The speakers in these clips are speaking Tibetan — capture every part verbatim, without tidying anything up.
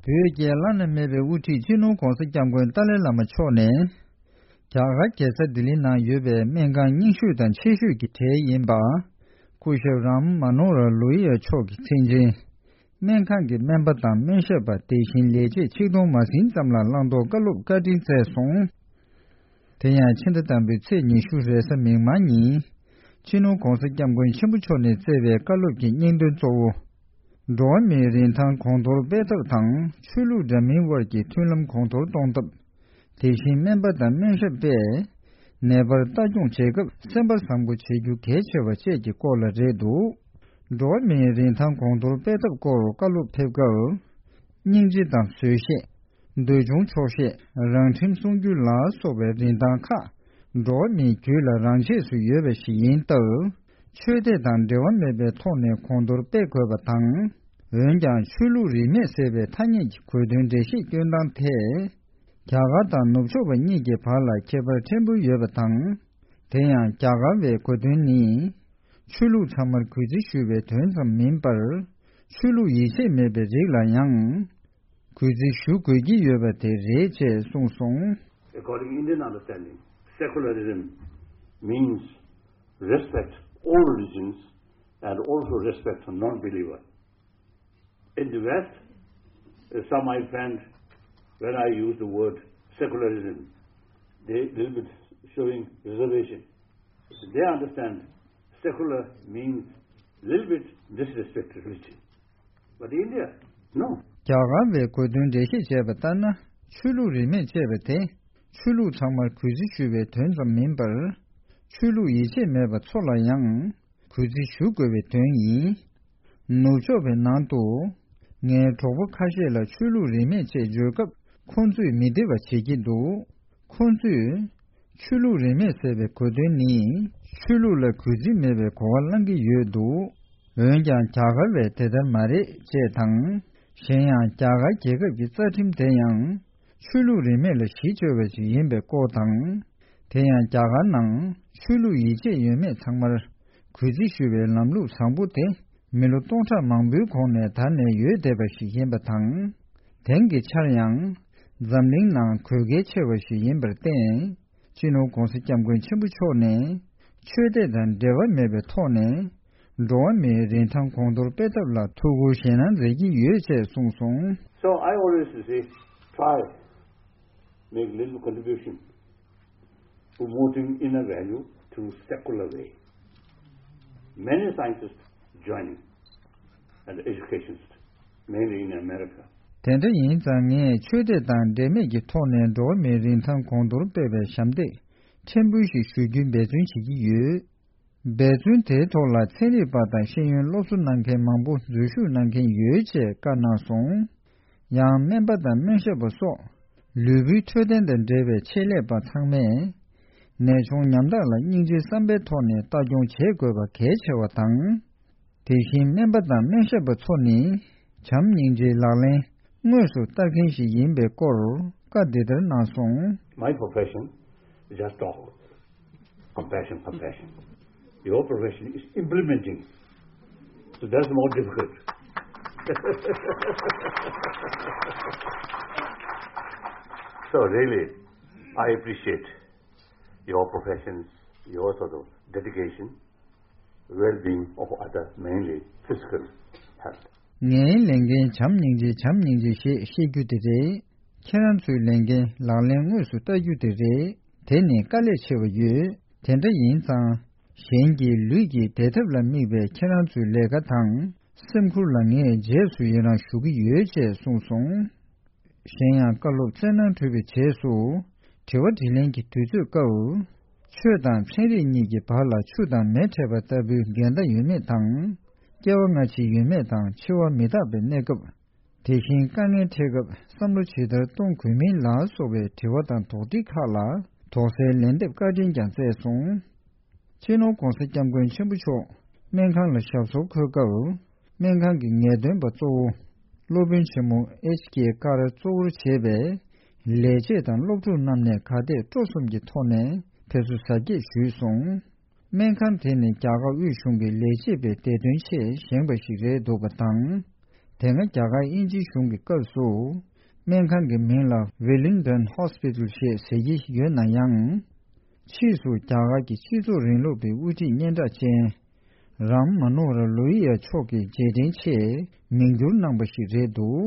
བོད་ཀྱི་བླ་ན་མེད་པའི་དབུ་ཁྲིད་སྤྱི་ནོར་༧གོང་ས་༧སྐྱབས་མགོན་ཏཱ་ལའི་བླ་མ་མཆོག་ནས། རྒྱ་གར་རྒྱལ་ས་ལྡི་ལི་ནང་ཡོད་པའི་སྨན་ཁང་རྙིང་ཤོས་དང་ཆེ་ཤོས་ཀྱི་གྲས་ཡིན་པ། སྐུ་ཞབས་རམ་མ་ནོ་ར་ལོ་ཡི་ཡ་མཆོག་གི་མཚན་ཅན། སྨན་ཁང་གི་སྨན་པ་དང་སྨན་ཞབས་པ་དེ་བཞིན་ལས་བྱེད་ཆིག་སྟོང་མ་ཟིན་ཙམ་ལ་བླང་དོར་བཀའ་སློབ་བཀའ་དྲིན་སྩལ་སོང་། དེ་ཡང་ཕྱི་ཟླ་དང་པོའི་ཚེས་ཉི་ཤུ་རེས་གཟའ་མིག་དམར་ཉིན། སྤྱི་ནོར་༧གོང་ས་༧སྐྱབས་མགོན་ཆེན་པོ་མཆོག་ནས་སྩལ་བའི་བཀའ་སློབ་ཀྱི་སྙིང་དོན་གཙོ་བོ། འགྲོ་བ་མིའི་རིན་ཐང་གོང་མཐོར་སྤེལ་ཐབས་དང་ཆོས་ལུགས་འདྲ་མིན་དབར་གྱི་མཐུན་ལམ་གོང་མཐོར་གཏོང་ཐབས། དེ་བཞིན་སྨན་པ་དང་སྨན་ཞབས་པས་ནད་པར་ལྟ་སྐྱོང་བྱེད་སྐབས་སེམས་པ་བཟང་པོ་བྱེད་རྒྱུ་གལ་ཆེ་བ་བཅས་ཀྱི་སྐོར་ལ་རེད་འདུག་འགྲོ་བ་མིའི་རིན་ཐང་གོང་མཐོར་སྤེལ་ཐབས་སྐོར་བཀའ་སློབ་ཕེབས་སྐབས། སྙིང་རྗེ་དང་བཟོད་ཤེས། འདོད་ཆུང་ཆོག་ཤེས། རང་ཁྲིམས་སྲུང་རྒྱུ་ལ་སོགས་པའི་རིན་ཐང་ཁག་འགྲོ་བ་མིའི་རྒྱུད་ལ་རང་ཆས་སུ་ཡོད་པ་ཞིག་ཡིན་སྟབས། ཆོས་དད་དང་འབྲེལ་བ་མེད་པའི་ཐོག་ནས་གོང་མཐོར་སྤེལ་དགོས་པ་དང་། འོན་ཀྱང་ཆོས་ལུགས་རིས་མེད་ཟེར་བའི་ཐ་སྙད་ཀྱི་གོ་དོན་འགྲེལ་བཤད་སྐྱོན་སྟངས་ཐད། རྒྱ་གར་དང་ནུབ་ཕྱོགས་པ་གཉིས་ཀྱི་བར་ལ་ཁྱད་པར་ཕྲན་བུ་ཡོད་པ་དང་། དེ་ཡང་རྒྱ་གར་བའི་གོ་དོན་ནི། ཆོས་ལུགས་ཚང་མར་གུས་བརྩི་ཞུ་བའི་དོན་ཙམ་མིན་པར། ཆོས་ལུགས་ཡིད་ཆེས་མེད་པའི་རིགས་ལ་ཡང་། གུས་བརྩི་ཞུ་དགོས་ཀྱི་ཡོད་པ་དེ་རེད་ཅེས་གསུངས་སོང་། According Indian understanding, secularism means respect all religions and also respect for non-believer. In the West, uh, some my friend, when I use the word secularism, they little bit showing reservation. They understand secular means little bit disrespect to religion. But India, no. རྒྱ་གར་བའི་གོ་དོན་འགྲེལ་བཤད་བྱས་པ་ལྟར་ན། ཆོས་ལུགས་རིས་མེད་ཅེས་པ་དེ། ཆོས་ལུགས་ཚང་མར་གུས་བརྩི་ཞུ་བའི་དོན་ཙམ་མིན་པར། ཆོས་ལུགས་ཡིད་ཆེས་མེད་པ་ཚོ་ལ་ཡང་། གུས་བརྩི་ཞུ་དགོས་པའི་དོན་ཡིན། ནུབ་ཕྱོགས་པའི་ནང་དུ། ངའི་གྲོགས་པོ་ཁ་ཤས་ལ་ཆོས་ལུགས་རིས་མེད་ཅེས་བརྗོད་སྐབས། ཁོང་ཚོས་མི་བདེ་བ་བྱེད་ཀྱི་འདུག་ཁོང་ཚོས། ཆོས་ལུགས་རིས་མེད་ཟེར་བའི་གོ་དོན་ནི། ཆོས་ལུགས་ལ་གུས་བརྩི་མེད་པའི་གོ་བ་བླང་གི་ཡོད་འདུག་འོན་ཀྱང་རྒྱ་གར་བས་དེ་ལྟར་མ་རེད་ཅེས་དང་། གཞན་ཡང་རྒྱ་གར་རྒྱལ་ཁབ་ཀྱི་རྩ་ཁྲིམས་དེ་ཡང་། ཆོས་ལུགས་རིས་མེད་ལ་གཞི་བཅོལ་བ་ཞིག་ཡིན་པའི་སྐོར་དང་། དེ་ཡང་རྒྱ་གར་ནང་ཆོས་ལུགས་ཡིད་ཆེས་ཡོད་མེད་ཚང་མར་གུས་བརྩི་ཞུ་བའི་ལམ་ལུགས་བཟང་པོ་དེ་མི་ལོ་སྟོང་ཕྲག་མང་པོའི་གོང་ནས་དར་ནས་ཡོད་བསྡད་པ་ཞིག་ཡིན་པ་དང་། དེང་གི་ཆར་ཡང་འཛམ་གླིང་ནང་དགོས་གལ་ཆེ་བ་ཞིག་ཡིན་པར་བརྟེན། སྤྱི་ནོར་༧གོང་ས་༧སྐྱབས་མགོན་ཆེན་པོ་མཆོག་ནས་ཆོས་དད་དང་འབྲེལ་བ་མེད་པའི་ཐོག་ནས་འགྲོ་བ་མིའི་རིན་ཐང་གོང་མཐོར་སྤེལ་ཐབས་ལ་ཐུགས་ཁུར་ཞེད་སྣང་མཛད་ཀྱི་ཡོད་ཅེས་གསུངས་སོང་། So I always say, try, make little contribution promoting inner value through secular way. Many scientists joining and educationists, mainly in America. དེ་འདྲ་ཡིན་ཙང་ངས་ཆོས་དད་དང་འབྲེལ་མེད་ཀྱི་ཐོག་ནས་འགྲོ་བ་མིའི་རིན་ཐང་གོང་མཐོར་སྤེལ་བའི་ཞབས་འདེགས་ཕྲན་བུ་ཞིག་ཞུ་རྒྱུའི་འབད་བརྩོན་བྱེད་ཀྱི་ཡོད། འབད་བརྩོན་དེའི་ཐོག་ལ་ཚན་རིག་པ་དང་ཤེས་ཡོན་སློབ་གསོ་གནང་མཁན་མང་པོ་འཛུལ་ཞུགས་གནང་མཁན་ཡོད་ཅེས་བཀའ་གནང་སོང་། ཡང་སྨན་པ་དང་སྨན་ཞབས་པ་སོགས་ལུས་པོའི་འཕྲོད་བསྟེན་དང་འབྲེལ་བའི་ཆེད་ལས་པ་ཚང་མས་ནད་མཆོང་ཉམ་ཐག་ལ་སྙིང་རྗེའི་བསམ་པའི་ཐོག་ནས་ལྟ་སྐྱོང་བྱེད་དགོས་པ་གལ་ཆེ་བ་དང་། དེ་བཞིན་སྨན་པ་དང་སྨན་ཞབས་པ་ཚོ་ནི་བྱམས་སྙིང་རྗེའི་ལག་ལེན་དངོས་སུ་བསྟར་མཁན་ཞིག་ཡིན་པའི་སྐོར་བཀའ་འདི་ལྟར་གནང་སོང་། My profession is just talk. Compassion, compassion. Your profession is implementing. So that's more difficult. So really, I appreciate your professions, your sort of dedication, well-being of other, mainly physical health. ངའི་ལས་འགན་བྱམས་སྙིང་རྗེ་བྱམས་སྙིང་རྗེ་ཞེས་བཤད་རྒྱུ་དེ་རེད། ཁྱེད་རང་ཚོའི་ལས་འགན་ལག་ལེན་དངོས་སུ་བསྟར་རྒྱུ་དེ་རེད། དེ་ནི་དཀའ་ལས་ཆེ་བ་ཡོད། དེ་འདྲ་ཡིན་ཙང་། གཞན་གྱི་ལུས་ཀྱི་བདེ་ཐབས་ལ་དམིགས་པའི་ཁྱེད་རང་ཚོའི་ལས་ཀ་དང་སེམས་ཁུར་ལ་ངས་རྗེས་སུ་ཡི་རང་ཞུ་གི་ཡོད་ཅེས་གསུངས་སོང་། གཞན་ཡང་བཀའ་སློབ་སྩལ་གནང་གྲུབ་པའི་རྗེས་སུ། དྲི་བ་དྲིས་ལན་གྱི་དུས་ཚོད་སྐབས། ཆོས་དང་ཚན་རིག་གཉིས་ཀྱི་བར་ལ་ཆུ་དང་མེ་འཕྲད་པ་ལྟ་བུའི་འགལ་ཟླ་ཡོད་མེད་དང་། སྐྱེ་བ་སྔ་ཕྱི་ཡོད་མེད་དང་འཆི་བ་མི་རྟག་པའི་གནས་སྐབས། དེ་བཞིན་དཀའ་ངལ་འཕྲད་སྐབས་བསམ་བློ་ཇི་ལྟར་གཏོང་དགོས་མིན་ལ་སོགས་པའི་དྲི་བ་དང་དོགས་འདྲི་ཁག་ལ་དོགས་སེལ་ལན་འདེབས་བཀའ་དྲིན་ཀྱང་སྩལ་སོང་། སྤྱི་ནོར་༧གོང་ས་༧སྐྱབས་མགོན་ཆེན་པོ་མཆོག་སྨན་ཁང་ལ་ཞབས་སོར་འཁོད་སྐབས། སྨན་ཁང་གི་ངེས་སྟོན་པ་གཙོ་བོ། སློབ་དཔོན་ཆེན་མོ་ཨེཆ་ཀེ་ཀར་གཙོ་བོར་བྱས་པའི་ལས་བྱེད་དང་སློབ་ཕྲུག་རྣམས་ནས་ག་དེ་སྤྲོ་གསུམ་གྱི་ཐོག་ནས་ཕེབས་བསུ་གཟབ་རྒྱས་ཞུས་སོང་། སྨན་ཁང་དེ་ནི་རྒྱ་གར་དབུས་གཞུང་གི་ལས་བྱེད་པའི་བདེ་དོན་ཆེད་བཞེངས་པ་ཞིག་རེད་འདུག་པ་དང་། དེ་སྔ་རྒྱ་གར་དབྱིན་ཇིའི་གཞུང་གི་སྐབས་སུ། སྨན་ཁང་གི་མིང་ལ་Wellington Hospital ཞེས་ཟེར་གྱི་ཡོད་ན་ཡང་། ཕྱིས་སུ་རྒྱ་གར་གྱི་སྤྱི་ཚོགས་རིང་ལུགས་པའི་དབུ་ཁྲིད་སྙན་གྲགས་ཅན། རམ་མ་ནོ་ཧར་ལོ་ཧི་ཡ་མཆོག་གི་རྗེས་དྲན་ཆེད་མིང་བསྒྱུར་གནང་པ་ཞིག་རེད་འདུག་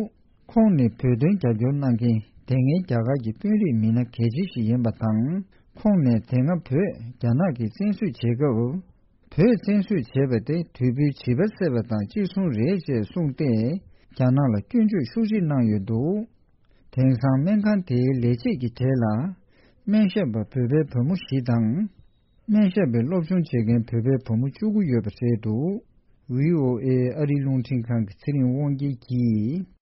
ཁོང་ནི་བོད་དོན་རྒྱབ་སྐྱོར་གནང་མཁན་དེ་སྔའི་རྒྱ་གར་གྱི་དཔོན་རིགས་མི་སྣ་གལ་ཆེ་ཞིག་ཡིན་པ་དང་། ཁོང་ནས་དེ་སྔ་བོད་རྒྱ་ནག་གིས་བཙན་བཟུང་བྱེད་སྐབས། བོད་བཙན་བཟུང་བྱས་པ་དེ་དུས་བོད་བྱིས་པ་བསད་པ་དང་གཅིག་མཚུངས་རེད་ཅེས་གསུངས་ཏེ། རྒྱ་ནག་ལ་སྐྱོན་བརྗོད་ཤུགས་ཆེ་གནང་ཡོད་འདུག་དེང་སང་སྨན་ཁང་དེའི་ལས་བྱེད་ཀྱི་གྲས་ལ། སྨན་ཞབས་པ་བོད་པའི་བུ་མོ་བཞི་དང་། སྨན་ཞབས་པའི་སློབ་སྦྱོང་བྱེད་མཁན་བོད་པའི་བུ་མོ་བཅུ་དགུ་ཡོད་པ་རེད་འདུག་ཝི་ཨོ་ཨེ་ཨ་རིའི་རླུང་འཕྲིན་ཁང་གི་ཚེ་རིང་དབང་རྒྱལ་གྱིས།